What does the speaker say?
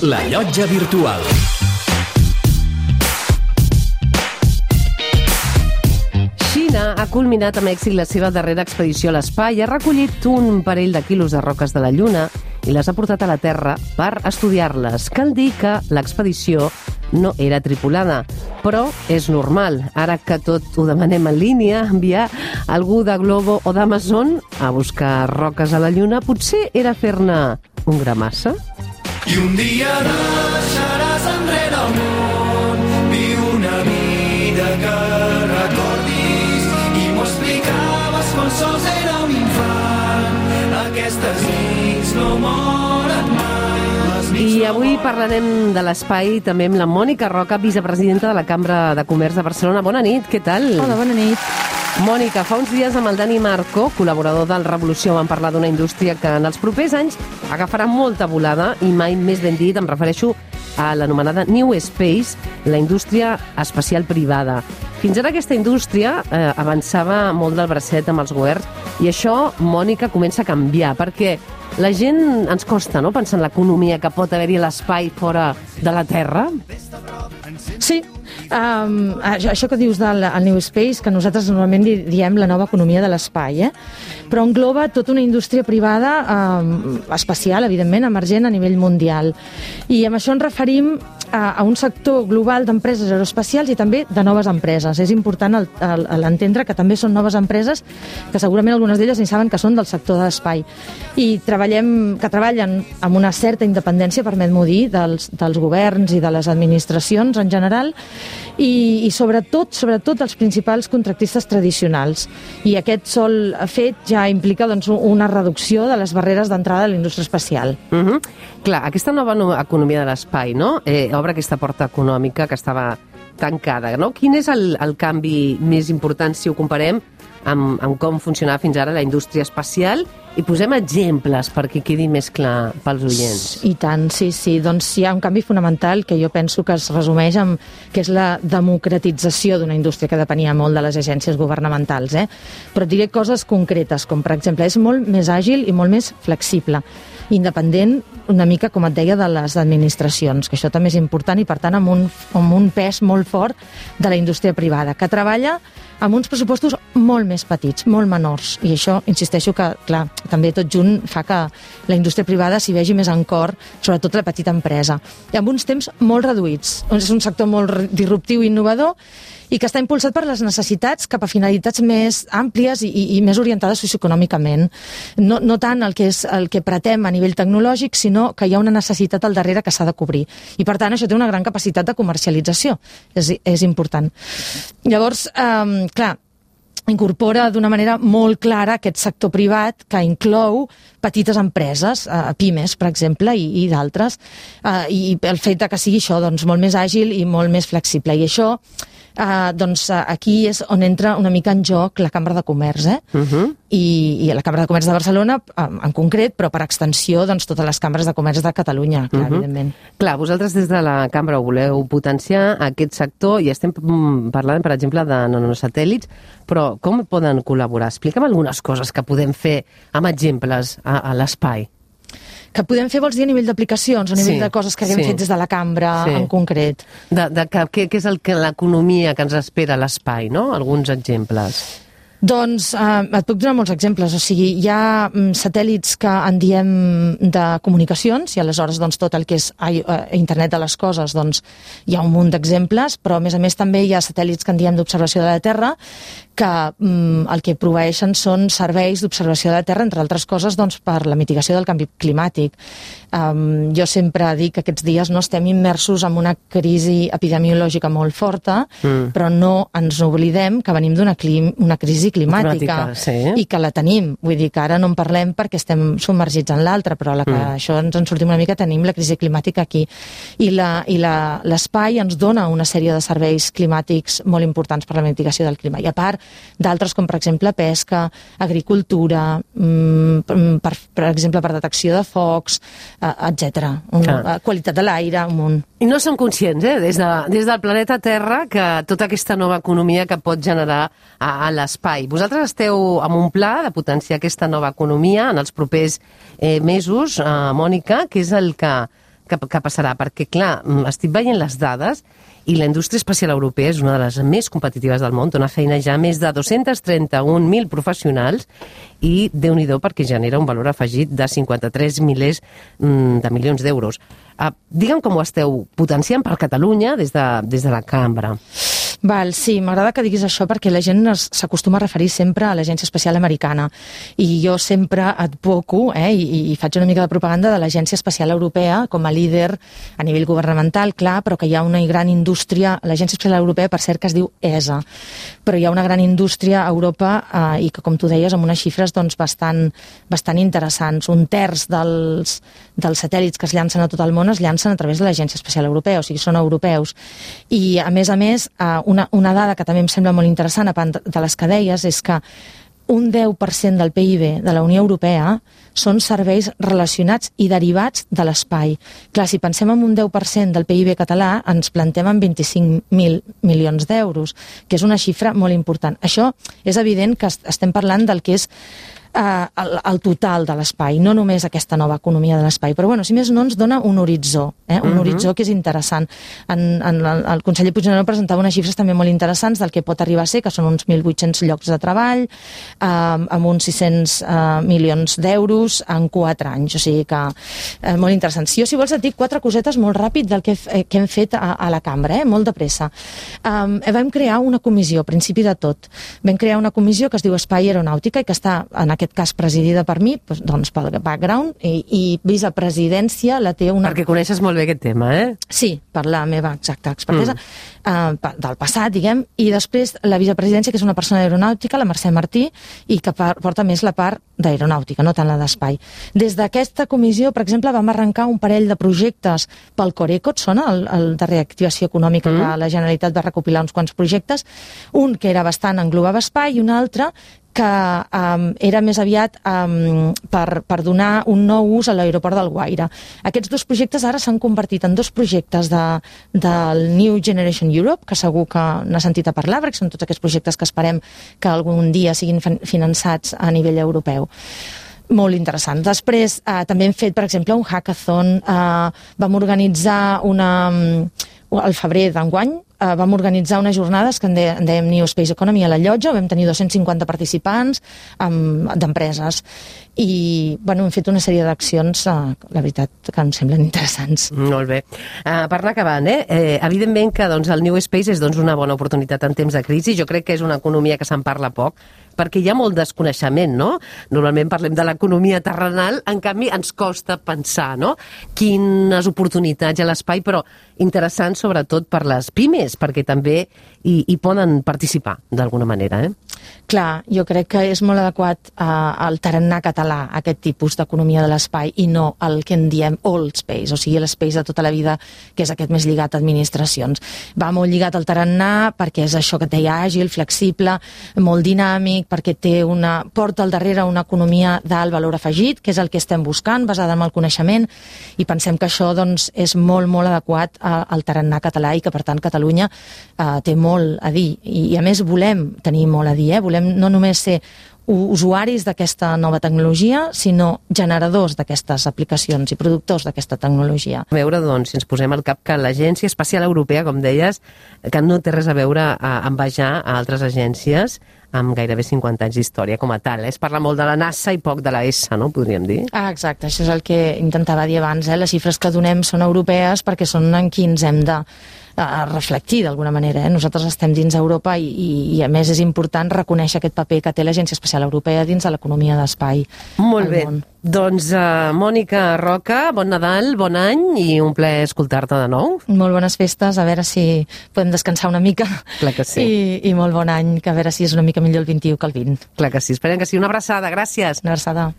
La Llotja Virtual. Xina ha culminat amb èxit la seva darrera expedició a l'espai, ha recollit un parell de quilos de roques de la Lluna i les ha portat a la Terra per estudiar-les. Cal dir que l'expedició no era tripulada, però és normal. Ara que tot ho demanem en línia, enviar algú de Globo o d'Amazon a buscar roques a la Lluna potser era fer-ne un gra massa. I un dia deixaràs enrere el món, viu una vida que recordis, i m'ho explicaves quan sols era un infant. Aquestes nits no moren mai. I avui parlarem de l'espai també amb la Mònica Roca, vicepresidenta de la Cambra de Comerç de Barcelona. Bona nit, què tal? Hola, bona nit. Mònica, fa uns dies amb el Dani Marco, col·laborador del Revolució, vam parlar d'una indústria que en els propers anys agafarà molta volada i mai més ben dit, em refereixo a l'anomenada New Space, la indústria espacial privada. Fins ara aquesta indústria avançava molt del bracet amb els governs i això, Mònica, comença a canviar perquè la gent ens costa, no?, pensar en l'economia que pot haver-hi a l'espai fora de la Terra. Sí, això que dius del New Space, que nosaltres normalment diem la nova economia de l'espai, però engloba tota una indústria privada espacial, evidentment, emergent a nivell mundial. I amb això ens referim a un sector global d'empreses aeroespacials i també de noves empreses. És important l'entendre que també són noves empreses que segurament algunes d'elles ni saben que són del sector de l'espai i que treballen amb una certa independència, permet-m'ho dir, dels governs i de les administracions en general i sobretot dels principals contractistes tradicionals. I aquest sol fet ja implica una reducció de les barreres d'entrada a la indústria espacial. Clar, aquesta nova economia de l'espai, no?, obre aquesta porta econòmica que estava tancada, no? Quin és el canvi més important si ho comparem amb com funcionava fins ara la indústria espacial? I posem exemples perquè quedi més clar pels oients. I tant, sí. Doncs hi ha un canvi fonamental que jo penso que es resumeix en que és la democratització d'una indústria que depenia molt de les agències governamentals. Però et diré coses concretes, com per exemple, és molt més àgil i molt més flexible, independent una mica, com et deia, de les administracions, que això també és important i, per tant, amb un pes molt fort de la indústria privada, que treballa amb uns pressupostos molt més petits, molt menors. I això, insisteixo que, clar, també tot junt fa que la indústria privada s'hi vegi més en cor, sobretot la petita empresa. I amb uns temps molt reduïts. És un sector molt disruptiu i innovador i que està impulsat per les necessitats cap a finalitats més àmplies i més orientades socioeconòmicament. No tant el que pretem a nivell tecnològic, sinó que hi ha una necessitat al darrere que s'ha de cobrir. I, per tant, això té una gran capacitat de comercialització. És important. Llavors, clar, incorpora d'una manera molt clara aquest sector privat que inclou petites empreses, pimes, per exemple, i d'altres, i el fet que sigui això molt més àgil i molt més flexible. I això, aquí és on entra una mica en joc la Cambra de Comerç, i la Cambra de Comerç de Barcelona en concret, però per extensió totes les cambres de comerç de Catalunya, clar, evidentment. Clar, vosaltres des de la Cambra ho voleu potenciar aquest sector i estem parlant, per exemple, de nanosatèl·lits, però com poden col·laborar? Explica'm algunes coses que podem fer amb exemples a l'espai. Que podem fer, vols dir, a nivell d'aplicacions, a nivell de coses que haguem fet des de la cambra en concret? Què és l'economia que ens espera a l'espai, no? Alguns exemples. Doncs et puc donar molts exemples. O sigui, hi ha satèl·lits que en diem de comunicacions i aleshores tot el que és internet de les coses, hi ha un munt d'exemples, però a més també hi ha satèl·lits que en diem d'observació de la Terra que el que proveeixen són serveis d'observació de la Terra, entre altres coses per la mitigació del canvi climàtic. Jo sempre dic que aquests dies no estem immersos en una crisi epidemiològica molt forta, però no ens oblidem que venim d'una crisi climàtica i que la tenim. Vull dir que ara no en parlem perquè estem submergits en l'altra, però a la que això ens en sortim una mica tenim la crisi climàtica aquí. I l'espai ens dona una sèrie de serveis climàtics molt importants per la mitigació del clima. I a part d'altres com per exemple pesca, agricultura, per exemple per detecció de focs, etc. Qualitat de l'aire, un munt. I no som conscients, des del planeta Terra, que tota aquesta nova economia que pot generar a l'espai. Vosaltres esteu amb un pla de potenciar aquesta nova economia en els propers mesos, Mònica, que és el que que passarà, perquè, clar, estic veient les dades i la indústria espacial europea és una de les més competitives del món, dona feina ja a més de 231.000 professionals i, Déu-n'hi-do, perquè genera un valor afegit de 53 milers de milions d'euros. Digue'm com ho esteu potenciant per Catalunya des de la cambra. Val, sí, m'agrada que diguis això perquè la gent s'acostuma a referir sempre a l'Agència Espacial Americana i jo sempre advoco i faig una mica de propaganda de l'Agència Espacial Europea com a líder a nivell governamental, clar, però que hi ha una gran indústria, l'Agència Espacial Europea, per cert, que es diu ESA, però hi ha una gran indústria a Europa i que, com tu deies, amb unes xifres doncs, bastant interessants. Un terç dels satèl·lits que es llancen a tot el món es llancen a través de l'Agència Espacial Europea, o sigui, són europeus. I, a més, una dada que també em sembla molt interessant, a part de les que deies, és que un 10% del PIB de la Unió Europea són serveis relacionats i derivats de l'espai. Clar, si pensem en un 10% del PIB català, ens plantem en 25.000 milions d'euros, que és una xifra molt important. Això és evident que estem parlant del que és el total de l'espai, no només aquesta nova economia de l'espai, però bueno, si més no ens dona un horitzó, un horitzó que és interessant. El conseller Puigneró presentava unes xifres també molt interessants del que pot arribar a ser, que són uns 1.800 llocs de treball, amb uns 600 milions d'euros en 4 anys, o sigui que molt interessant. Jo, si vols, et dic 4 cosetes molt ràpid del que hem fet a la cambra, molt de pressa. Vam crear una comissió, a principi de tot. Vam crear una comissió que es diu Espai i Aeronàutica i que està, en aquest cas, presidida per mi, doncs pel background, i vicepresidència la té una... Perquè coneixes molt bé aquest tema, Sí, per la meva exacta expertesa del passat, diguem, i després la vicepresidència, que és una persona d'aeronàutica, la Mercè Martí, i que porta més la part d'aeronàutica, no tant la d'espai. Des d'aquesta comissió, per exemple, vam arrencar un parell de projectes pel Coreco, et sona? El de reactivació econòmica, que la Generalitat va recopilar uns quants projectes, un que era bastant englobava espai i un altre que era més aviat per donar un nou ús a l'aeroport d'Alguaire. Aquests 2 projectes ara s'han convertit en 2 projectes del New Generation Europe, que segur que n'ha sentit a parlar, perquè són tots aquests projectes que esperem que algun dia siguin finançats a nivell europeu. Molt interessant. Després també hem fet, per exemple, un hackathon. Vam organitzar al febrer d'enguany, vam organitzar unes jornades que en dèiem New Space Economy a la Llotja, vam tenir 250 participants d'empreses i hem fet una sèrie d'accions, la veritat, que em semblen interessants. Molt bé. Per anar acabant, evidentment que el New Space és una bona oportunitat en temps de crisi. Jo crec que és una economia que se'n parla poc, perquè hi ha molt desconeixement, no? Normalment parlem de l'economia terrenal, en canvi ens costa pensar, no? Quines oportunitats hi ha a l'espai, però interessant sobretot per les pimes, perquè també hi poden participar d'alguna manera, Clar, jo crec que és molt adequat al tarannà català, aquest tipus d'economia de l'espai, i no el que en diem old space, o sigui, l'espace de tota la vida, que és aquest més lligat a administracions. Va molt lligat al tarannà perquè és això que et deia, àgil, flexible, molt dinàmic, perquè porta al darrere una economia d'alt valor afegit, que és el que estem buscant, basada en el coneixement, i pensem que això és molt, molt adequat al tarannà català i que, per tant, Catalunya té molt a dir. I, a més, volem tenir molt a dir, volem no només ser usuaris d'aquesta nova tecnologia, sinó generadors d'aquestes aplicacions i productors d'aquesta tecnologia. A veure, si ens posem al cap que l'Agència Espacial Europea, com deies, que no té res a veure a envejar a altres agències amb gairebé 50 anys d'història com a tal. Es parla molt de la NASA i poc de la ESA, no? Podríem dir. Exacte, això és el que intentava dir abans. Les xifres que donem són europees perquè són en qui ens hem de reflectir d'alguna manera. Nosaltres estem dins Europa i a més és important reconèixer aquest paper que té l'Agència Espacial Europea dins de l'economia d'espai. Molt bé. Doncs, Mònica Roca, bon Nadal, bon any i un plaer escoltar-te de nou. Molt bones festes, a veure si podem descansar una mica. Clar que sí. I molt bon any, que a veure si és una mica millor el 21 que el 20. Clar que sí, esperem que sí. Una abraçada, gràcies. Una abraçada.